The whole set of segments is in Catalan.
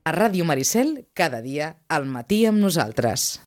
A Ràdio Maricel, cada dia, al matí amb nosaltres.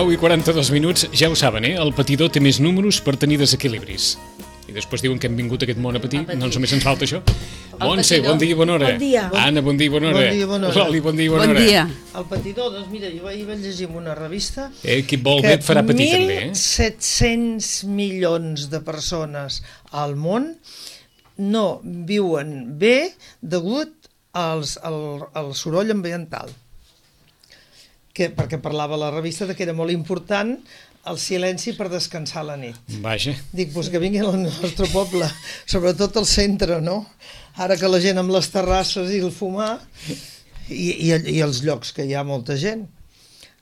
I 42 minuts, ja ho saben, el patidor té més números per tenir desequilibris. I després diuen que hem vingut a aquest món a patir, no només ens falta això. Montse, bon dia i bona hora. Bon dia. Anna, bon dia i bona hora. Bon dia i bona hora. Loli, bon dia i bona hora. Bon dia. El patidor, doncs mira, jo ahir vaig llegir en una revista Qui vol bé et farà patir també, 1.700 milions de persones al món no viuen bé degut al soroll ambiental. Perquè parlava la revista que era molt important el silenci per descansar a la nit. Vaja. Dic, doncs que vinguin al nostre poble, sobretot al centre, no? Ara que la gent amb les terrasses i el fumar, i els llocs que hi ha molta gent.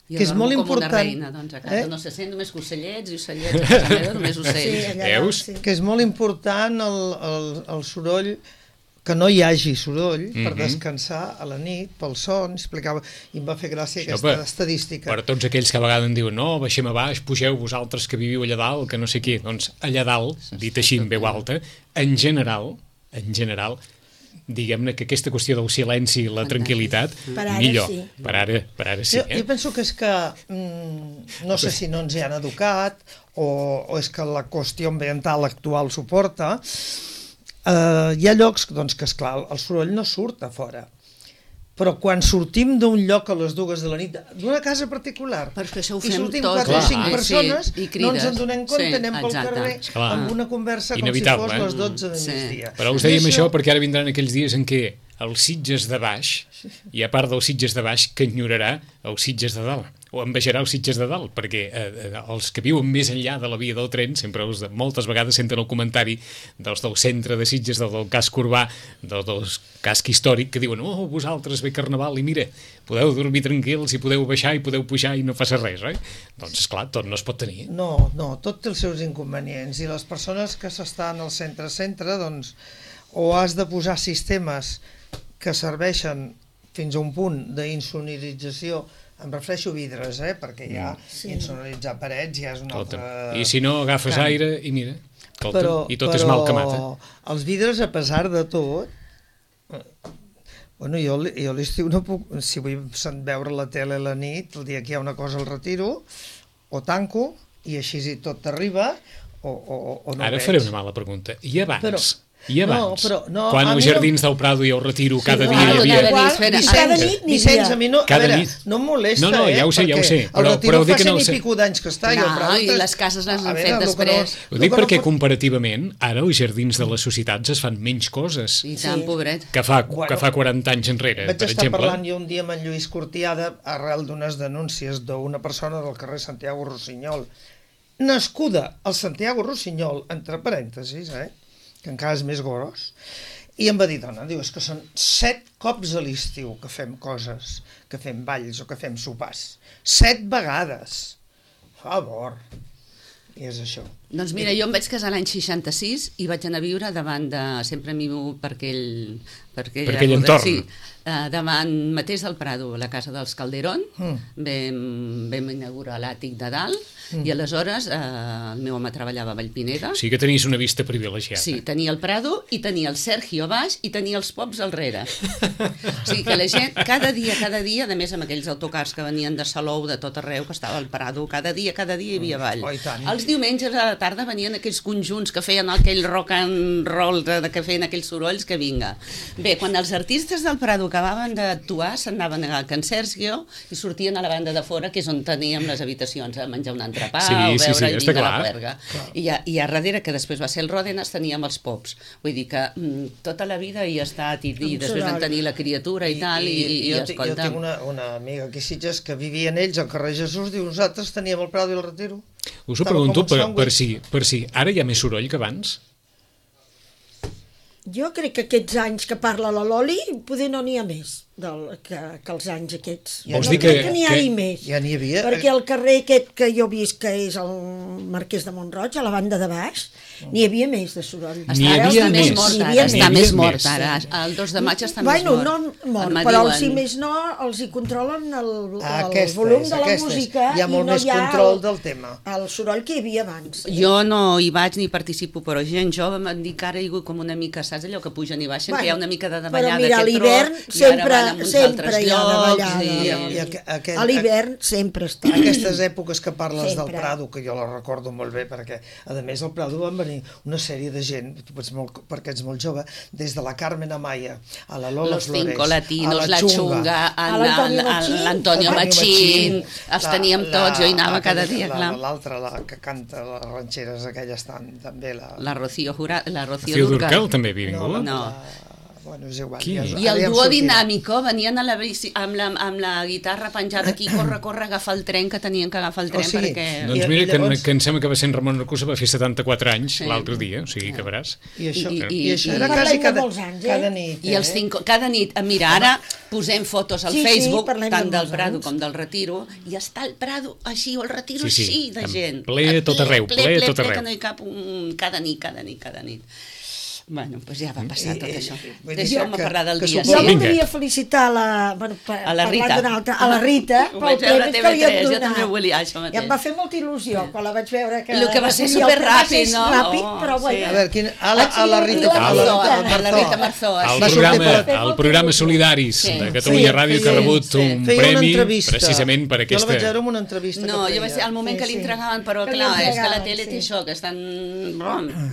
Jo que és molt com important. una reina, doncs a casa no se sent només ocellets i ocellets, a casa meva només ocells. Veus? Que és molt important el soroll, que no hi hagi soroll per descansar a la nit, pel son, explicava, i em va fer gràcia aquesta estadística. Per tots aquells que a vegades em diuen no, baixem a baix, pugeu vosaltres que viviu allà dalt, que no sé què, doncs allà dalt, dit així en veu alta, en general, diguem-ne que aquesta qüestió del silenci i la tranquil·litat, millor. Per ara sí. Jo penso que és que, no sé si no ens hi han educat, o és que la qüestió ambiental actual suporta. Hi ha llocs doncs, que, esclar, el soroll no surt a fora, però quan sortim d'un lloc a les 2 de la nit, d'una casa particular, perquè això ho i fem sortim tots, 4 o 5 persones, no ens en donem compte, anem pel carrer amb una conversa com si fos les 12 de migdia. Però us dèiem això perquè ara vindran aquells dies en què els Sitges de baix, hi ha part dels Sitges de baix que enyorarà els Sitges de dalt, o envejarà els Sitges de dalt, perquè els que viuen més enllà de la via del tren, sempre moltes vegades senten el comentari dels del centre de Sitges, del casc urbà, del casc històric, que diuen, oh, vosaltres ve Carnaval, i mira, podeu dormir tranquils i podeu baixar i podeu pujar i no passa res, oi? Doncs, esclar, tot no es pot tenir. No, tot té els seus inconvenients, i les persones que s'estan al centre, doncs, o has de posar sistemes que serveixen fins a un punt d'insonorització, em refereixo a vidres, perquè ja insonoritzar parets ja és una altra... I si no agafes aire i mira, i tot és mal que mata. Però els vidres, a pesar de tot, bueno, jo l'estiu no puc, si vull veure la tele a la nit, el dia que hi ha una cosa el retiro, o tanco, i així tot t'arriba, o no Ara veig. faré una mala pregunta. I abans? I abans, quan als Jardins del Prado i al Retiro cada dia hi havia... Cada nit n'hi havia. A mi no em molesta, No, ja ho sé. El Retiro fa 100 i pico d'anys que està, i el Prado... I les cases les han fet després. Ho dic perquè comparativament, ara als Jardins de les societats es fan menys coses I tant, pobret. que fa 40 anys enrere, per exemple. Vaig estar parlant jo un dia amb en Lluís Cortiada arrel d'unes denúncies d'una persona del carrer Santiago Rossinyol, nascuda al Santiago Rossinyol, entre parèntesis, que encara és més gros, i em va dir, dona, diu, és que són 7 cops a l'estiu que fem coses, que fem balls o que fem sopars. 7 vegades. Favor. I és això. Doncs mira, jo em vaig casar l'any 66 i vaig anar a viure davant de... Sempre mimo per Per aquell entorn. Sí, davant mateix del Prado, la casa dels Calderón, vam inaugurar l'àtic de dalt, i aleshores el meu home treballava a Vallpineda. Sí que tenies una vista privilegiada. Sí, tenia el Prado i tenia el Sergio a baix i tenia els pops al darrere. O sigui que la gent, cada dia, a més amb aquells autocars que venien de Salou, de tot arreu, que estava al Prado, cada dia hi havia ball. Els diumenges a la tarda venien aquells conjunts que feien aquell rock and roll, que feien aquells sorolls, que vinga. Bé, quan els artistes del Prado acabaven d'actuar, s'anaven a Can Sergio i sortien a la banda de fora, que és on teníem les habitacions, a menjar un entrepà o veure el vinga a la puerga. I a darrere, que després va ser el Ròdenas, teníem els pops. Vull dir que tota la vida hi ha estat, i després vam tenir la criatura i tal, i escolta... Jo tinc una amiga aquí a Sitges que vivien ells al carrer Jesús, diu, nosaltres teníem el Prado i el Retiro. Us ho pregunto per si ara hi ha més soroll que abans? Jo crec que aquests anys que parla la Loli, poder no n'hi ha més que els anys aquests. Vols no dir crec que n'hi hagi més. Ja n'hi havia. Perquè el carrer aquest que jo visc, que és el Marquès de Montroig, a la banda de baix, n'hi havia més de soroll. Està més mort ara. El 2 de maig està més mort. No mort, però si més no, els hi controlen el volum de la música. Hi ha molt més control del tema. El soroll que hi havia abans. Jo no hi vaig ni participo, però gent jove m'han dit que ara hi ha com una mica, saps allò que pugen i baixen, que hi ha una mica de davallada. Però mira, a l'hivern sempre hi ha davallada. A l'hivern sempre està. Aquestes èpoques que parles del Prado, que jo les recordo molt bé, perquè a més al Prado van venir una sèrie de gent, perquè ets molt jove, des de la Carmen Amaya a la Lola Flores, Los Cinco Latinos, la Chunga, l'Antonio Machín, els teníem tots, jo hi anava cada dia, clar. L'altra, la que canta les ranxeres aquelles també, la Rocío Durcal també havia vingut? No. Bueno, és igual. I el duo dinàmico venien a la bici amb la guitarra penjada aquí, corre, agafa el tren, que tenien que agafar el tren perquè... Doncs mira, que em sembla que va ser en Ramon Arcusa, va fer 74 anys l'altre dia, o sigui que veràs. I això era quasi cada nit. I els cada nit, mira, ara posem fotos al Facebook, tant del Prado com del Retiro, i està el Prado així, o el Retiro així, de gent. Ple tot arreu, ple tot arreu. Que no hi cap cada nit. Bueno, doncs ja va passar tot això. Deixeu-me parlar del dia. Jo voldria felicitar a la Rita pel premi que li hem donat. Jo també ho volia, això mateix. I em va fer molta il·lusió quan la vaig veure. El que va ser superràpid, no? Però bueno. A veure, a la Rita Marzó. El programa Solidaris de Catalunya Ràdio, que ha rebut un premi precisament per aquesta... Jo la vaig veure en una entrevista. No, jo vaig ser al moment que li entregaven, però clar, és que la tele té això, que estan...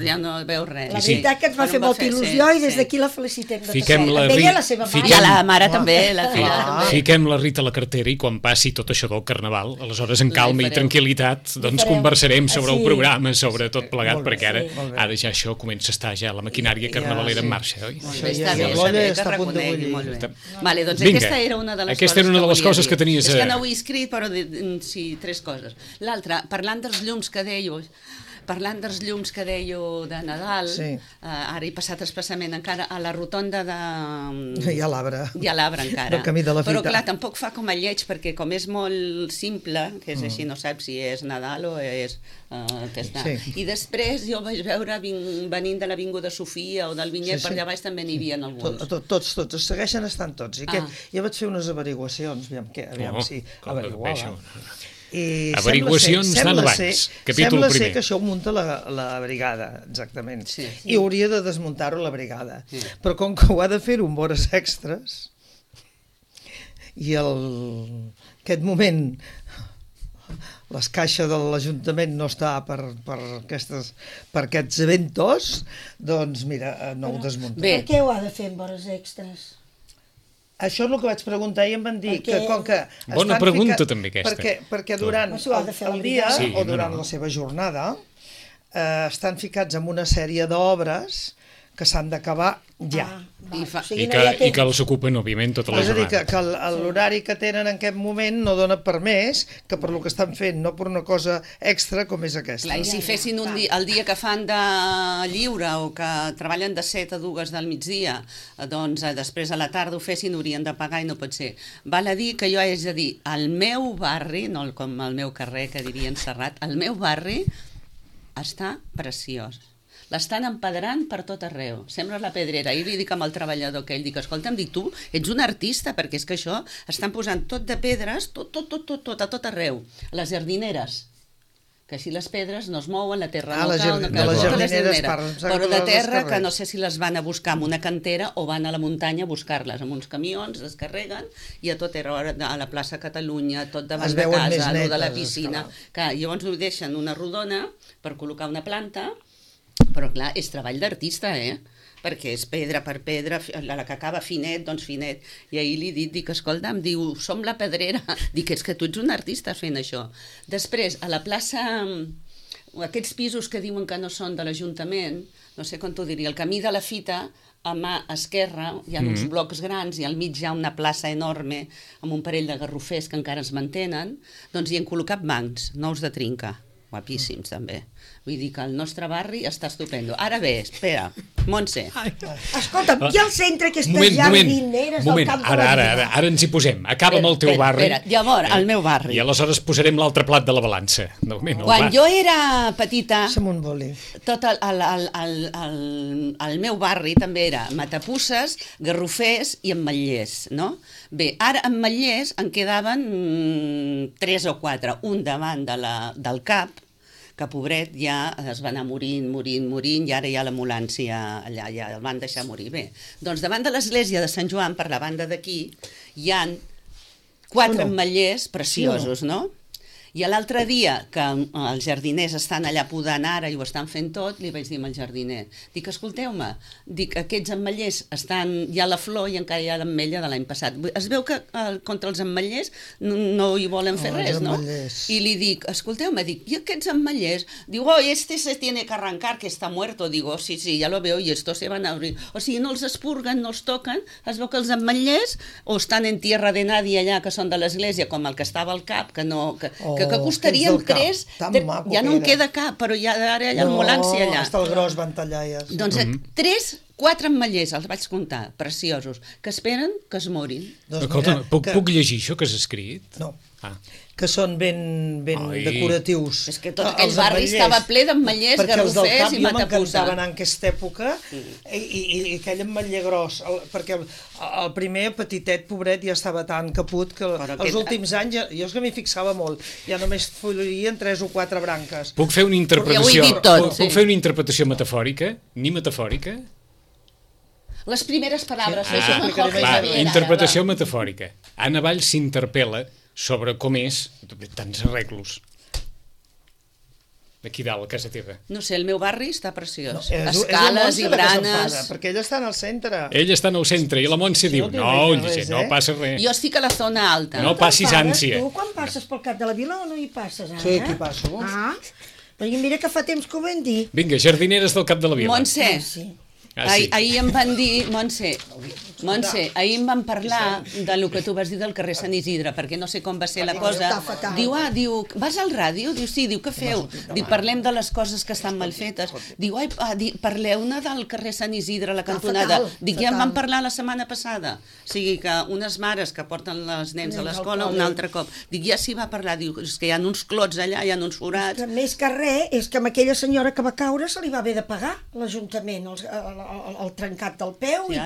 ja no veus res. La veritat que ens va fer molta il·lusió i des d'aquí la felicitem. Fiquem la Rita... I a la mare també, la filla també. Fiquem la Rita a la cartera i quan passi tot això del Carnaval, aleshores en calma i tranquil·litat, doncs conversarem sobre el programa, sobre tot plegat, perquè ara ja això comença a estar ja la maquinària carnavalera en marxa, oi? Està bé, que reconegui molt bé. Vale, doncs aquesta era una de les coses que tenies... És que no ho he escrit, però sí, 3 coses. L'altra, parlant dels llums que dèieu de Nadal, ara he passat expressament encara a la rotonda de... Hi ha l'arbre. Hi ha l'arbre encara. Del camí de la Fita. Però clar, tampoc fa com a lleig, perquè com és molt simple, que és així, no saps si és Nadal o és... I després jo vaig veure, venint de l'Avinguda Sofia o del Vinyet, per allà baix també n'hi havia alguns. Tots, segueixen estant tots. I jo vaig fer unes averiguacions, aviam si averiguava. Averiguacions d'an abans, capítol primer. Sembla ser que això ho munta la brigada, exactament, i hauria de desmuntar-ho la brigada, però com que ho ha de fer-ho amb hores extres i aquest moment les caixes de l'Ajuntament no està per aquests eventos, doncs mira, no ho desmuntem. Per què ho ha de fer amb hores extres? Això és el que vaig preguntar i em van dir que com que... Bona pregunta també aquesta. Perquè durant el dia o durant la seva jornada estan ficats en una sèrie d'obres que s'han d'acabar ja. I que els ocupen, òbviament, tota la jornada. És a dir, que l'horari que tenen en aquest moment no dona per més que per lo que estan fent, no per una cosa extra com és aquesta. Clar, i si fessin el dia que fan de lliure o que treballen de 7 a 2 del migdia, doncs després a la tarda ho fessin, haurien de pagar i no pot ser. Val a dir que jo haig de dir, al meu barri, no com al meu carrer, que dirien Serrat, el meu barri està preciós. l'estan empedrant per tot arreu. Sembla la pedrera. Ahir li dic amb el treballador aquell, dic, escolta'm, dic, tu ets un artista, perquè és que això estan posant tot de pedres, tot, a tot arreu. Les jardineres, que així les pedres no es mouen, la terra no cau, les jardineres parlen, però de terra que no sé si les van a buscar en una cantera o van a la muntanya a buscar-les amb uns camions, les carreguen i a tot era a la plaça Catalunya, tot davant de casa, a lo de la piscina, que llavors ho deixen una rodona per col·locar una planta, però clar, és treball d'artista, perquè és pedra per pedra, la que acaba finet, doncs finet. I ahir li dic, escolta'm, diu, som la pedrera. Dic, és que tu ets un artista fent això. Després, a la plaça, aquests pisos que diuen que no són de l'Ajuntament, no sé com t'ho diria, el camí de la Fita, a mà esquerra hi ha uns blocs grans i al mig hi ha una plaça enorme amb un parell de garrofers que encara es mantenen, doncs hi han col·locat bancs, nous de trinca, guapíssims també. Vull dir que el nostre barri està estupendo. Ara bé, espera, Montse. Escolta'm, i al centre aquestes jardineres del Camp de la Vila? Ara ens hi posem. Acaba amb el teu barri. Llavors, el meu barri. I aleshores posarem l'altre plat de la balança. Quan jo era petita, tot el meu barri també era matapusses, garrofers i ametllers, no? Bé, ara ametllers en quedaven 3 o 4, un davant del cap, que pobret ja es va anar morint, i ara hi ha l'ambulància allà, ja el van deixar morir. Bé, doncs davant de l'església de Sant Joan, per la banda d'aquí, hi han 4 ametllers preciosos, no? I l'altre dia, que els jardiners estan allà podant ara i ho estan fent tot, li vaig dir al jardiner, dic, escolteu-me, dic, aquests ametllers hi ha la flor i encara hi ha l'ametlla de l'any passat. Es veu que contra els ametllers no hi volen fer res, no? I li dic, escolteu-me, dic, i aquests ametllers? Diu, este se tiene que arrancar, que está muerto. Digo, sí, ya lo veo, y estos se van a abrir. O sigui, no els espurguen, no els toquen, es veu que els ametllers o estan en tierra de nadie allà, que són de l'església, com el que estava al cap, que costarien 3, ja no en queda cap, però ara hi ha ambulància allà. Hasta el gros van tallar ja. Doncs 3, 4 ametllers, els vaig comptar, preciosos, que esperen que es morin. Escolta, puc llegir això que has escrit? No, que són ben decoratius. És que tot aquell barri estava ple d'ametllers, garrofers i matapusses. Perquè els del cap jo m'encantava anar en aquesta època i aquell ametller gros, perquè el primer petitet, pobret, ja estava tan caput que els últims anys, jo és que m'hi fixava molt, ja només florien 3 o 4 branques. Puc fer una interpretació metafòrica? Ni metafòrica? Les primeres paraules. Interpretació metafòrica. Anna Valls s'interpel·la sobre com és tants arreglos d'aquí dalt, a casa teva. No sé, el meu barri està preciós. Escales i branes. Perquè ella està en el centre. Ella està en el centre i la Montse diu, no passa res. Jo estic a la zona alta. No passis ànsia. Tu quan passes pel Cap de la Vila o no hi passes ara? Sí, aquí passo. Però mira que fa temps que ho vam dir. Vinga, jardineres del Cap de la Vila. Montse, ahir em van dir, Montse, ahir em van parlar del que tu vas dir del carrer Sant Isidre, perquè no sé com va ser la cosa. Diu, vas al ràdio? Diu, sí, diu, què feu? Diu, parlem de les coses que estan mal fetes. Diu, parleu-ne del carrer Sant Isidre, la cantonada. Dic, ja en van parlar la setmana passada. O sigui que unes mares que porten els nens a l'escola un altre cop. Dic, ja s'hi va parlar. Diu, és que hi ha uns clots allà, hi ha uns forats. Més que res, és que amb aquella senyora que va caure se li va haver de pagar l'Ajuntament, el trencat del peu i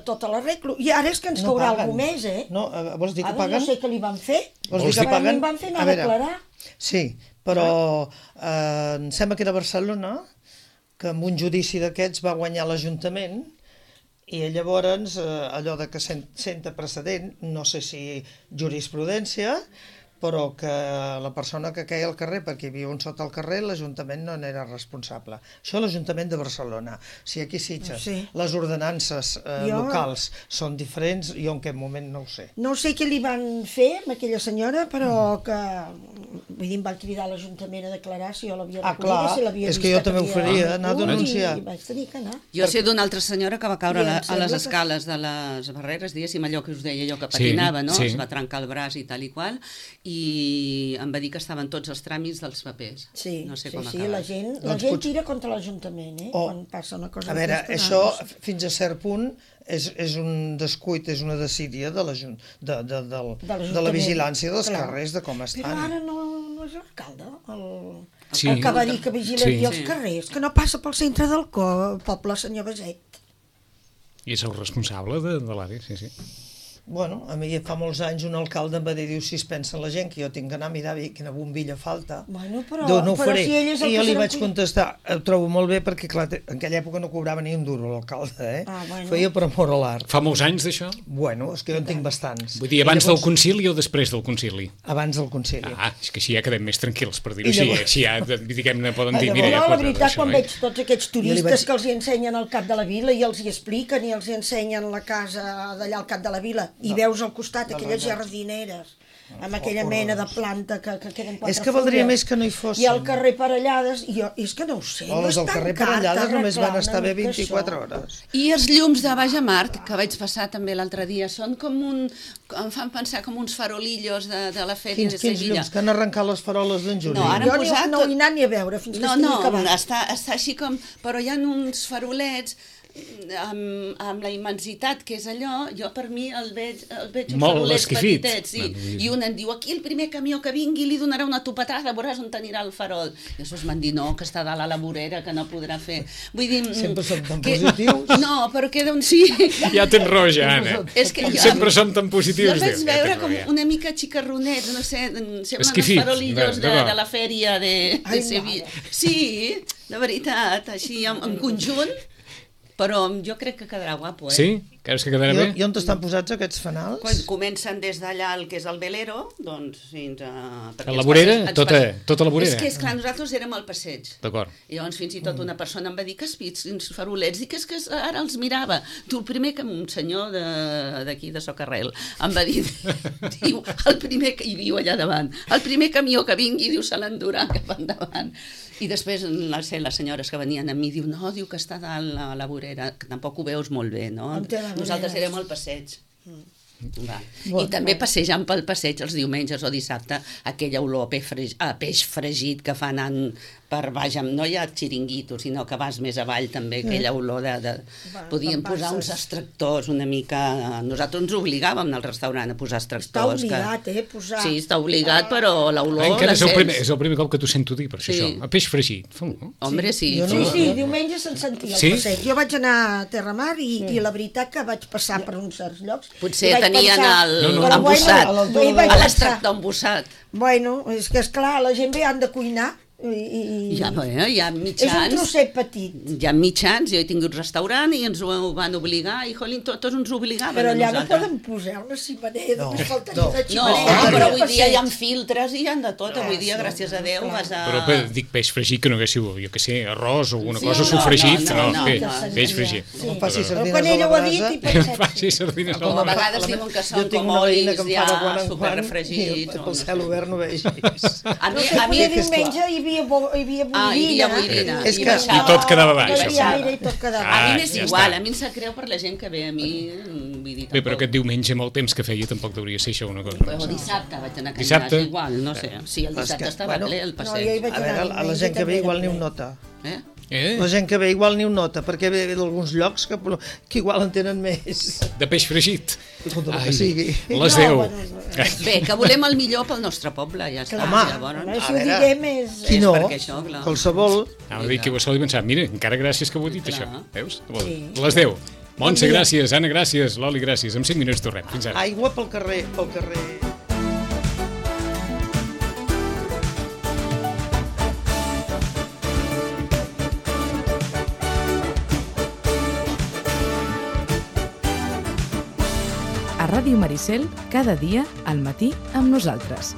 tota l'arreglo. I ara és que ens caurà algú més, No, vols dir que paguen? No sé què li van fer. Vols dir que paguen? Van fer anar a declarar. Sí, però em sembla que era Barcelona, que amb un judici d'aquests va guanyar l'Ajuntament i llavors allò de que senta precedent, no sé si jurisprudència, però que la persona que queia al carrer, perquè hi havia un sota al carrer, l'Ajuntament no n'era responsable. Això l'Ajuntament de Barcelona. Si aquí Sitges, les ordenances locals són diferents, jo en aquest moment no ho sé. No sé què li van fer amb aquella senyora, però que vull dir, em van cridar a l'Ajuntament a declarar si jo l'havia recollida, si l'havia vist. És que jo també ho faria, anar a denunciar. Vaig tenir que anar. Jo sé d'una altra senyora que va caure a les escales de les Barreres, diguéssim, allò que us deia jo, que patinava, no? Es va trencar el braç i tal i qual, i em va dir que estaven tots els tràmits dels papers. No sé com acabar. La gent tira contra l'Ajuntament, quan passa una cosa. A veure, això fins a cert punt és un descuit, és una desídia de la vigilància dels carrers, de com estan. Però ara no és l'alcalde, Sí. el que va dir que vigilaria Sí. els carrers, que no passa pel centre del poble, senyor Baset. I és el responsable de l'àrea, sí, sí. Bueno, a mi fa molts anys un alcalde em va dir, diu, si es pensa la gent que jo tinc que anar a mirar quina bombilla falta, Bueno, però, no ho però faré. si ell és el I que jo li se vaig n'en- contestar, ho trobo molt bé perquè, clar, en aquella època no cobrava ni un duro l'alcalde, Bueno. Feia per amor a l'art. Fa molts anys d'això? Bueno, és que jo en tinc bastants. Vull dir, abans del concili o després del concili? Abans del concili. Ah, és que així ja quedem més tranquils, per dir-ho I així. llavors- Així ja, diguem-ne, poden dir, Llavors- mira, ja No, la pot veritat, això, quan veig tots aquests Jo li turistes vaig- que els hi ensenyen el cap de la vila i els hi expliquen i els hi ensenyen la casa d'allà al cap de la vila i veus al costat aquelles jardineres amb aquella mena de planta que queden quatre És que valdria fulles, més que no hi fossin. i al carrer Parellades, i jo, és que no ho sé, no les és del tan carrer car Parellades només van d'arreglar estar bé una mica 24 això. hores. I els llums de Baix a Mart, que vaig passar també l'altre dia, són com em fan pensar com uns farolillos de la fèria de Quins Sevilla. llums, que han arrencat les faroles d'en Juli. No, ara Jo han posat no tot- hi he anat ni a veure fins que No, estigui no, acabat. està així com... Però hi ha uns farolets amb la immensitat que és allò, jo per mi el veig uns Molt farolets esquifit. petitets, sí. Bueno, I un em diu, aquí el primer camió que vingui li donarà una topetada, veuràs on anirà el farol. I això m'han dit, no, que està dalt a la vorera, que no podrà fer. Vull dir... Sempre som tan que- positius. No, però queda un sí. Ja tens raó, ja, Anna. És que jo- Sempre som tan positius. Jo vaig Déu, ja veure tens com raó, ja. una mica xicarronets, no sé, semblen els Esquifits, farolillos d'acord. de la fèria de Ai, Sevilla. mare. Sí, de veritat, així en conjunt, però jo crec que quedarà guapo, eh? Sí? Creus que quedarà bé? I on estan posats aquests fanals? Quan comencen des d'allà el que és el velero, doncs fins a... perquè A la ens vorera? passeig- ens Tota la vorera? És que, esclar, nosaltres érem al passeig. D'acord. I llavors fins i tot una persona em va dir que has vist uns farolets i que és que ara els mirava. Tu, el primer que un senyor d'aquí de Socarrel em va dir, diu, el primer que hi viu allà davant, el primer camió que vingui, diu, se l'endurà cap endavant. I després les senyores que venien a mi diu, no, diu que està dalt a la vorera, que tampoc ho veus molt bé, no? On té la vorera? Nosaltres érem al passeig. Va. I també passejant pel passeig els diumenges o dissabte, aquella olor a peix fregit que fa anant per baix, no hi ha xiringuitos, sinó que vas més avall també, aquella olor Podíem posar uns extractors una mica... Nosaltres ens obligàvem al restaurant a posar extractors. Està obligat, posar... Sí, està obligat, però l'olor Encara la sents. és el primer cop que t'ho sento dir, per Sí. això. A peix fregit. Hombre, sí. Jo Sí, no- sí, diumenge se'n sentia al Sí? passeig. Jo vaig anar a Terramar i la veritat que vaig passar per uns certs llocs. Potser I vaig tenien pensar, No, però embossat, bueno, i vaig a pensar, l'extractor embossat. bueno, és que esclar, la gent ve han de cuinar i Ja, bueno, hi ha és un mitjans. trosset petit. Hi ha mitjans, jo he tingut restaurant i ens ho van obligar, i jolín, tots ens obligaven Però a allà no nosaltres. poden posar una ximenea, No, només faltaria no. una No, ximenea. però al avui dia hi ha passeig. filtres i hi ha de tot. Avui dia, gràcies a Déu, vas a... Però dic peix fregit que no haguéssiu, jo què sé, arròs o alguna Sí, cosa no, sofregit. no, No, no, peix fregit. Sí. No faci Però sardines quan a ell la ho ha dit brasa. i pensat, Faci sardines Com a al vegades la- diuen que jo són tinc com una veïna olis que em fa de ja quan en quan superrefregits. i o pel no sé. cel obert no vegis. A no mi, sé, a mi poder diumenge hi havia boirina. Ah, hi havia boirina. És i que- baixava. I tot quedava baix, No hi havia això. aire i tot quedava A mi Ah, m'és ja igual, està. a mi em sap greu per la gent que ve a mi, vull dir, Bé, però tampoc. aquest diumenge amb el temps que feia tampoc deuria ser això una cosa. O dissabte vaig anar a Dissabte? Canyars, igual, no sé. Sí, el És dissabte que, estava bueno, ple el No, jo hi passeig. vaig A veure, anar a la diumenge gent que també ve igual era ni un ple. nota. Eh? La gent que ve igual ni un nota, perquè ve d'alguns llocs que igual en tenen més. De peix fregit. Tot el que sigui. Les No, 10. bueno, Bé, que volem el millor pel nostre poble, ja està. Home, Llavors, Si ho diguem és... Qui no? perquè això, clar. Qualsevol. Anava a dir que ho sol pensar, mira, encara gràcies que ho he dit, Clar. això. Veus? Sí. Les 10. Montse, Bon dia. gràcies. Anna, gràcies. Loli, gràcies. En 5 minuts tornem. Fins ara. Aigua pel carrer, pel carrer. A Ràdio Maricel, cada dia al matí amb nosaltres.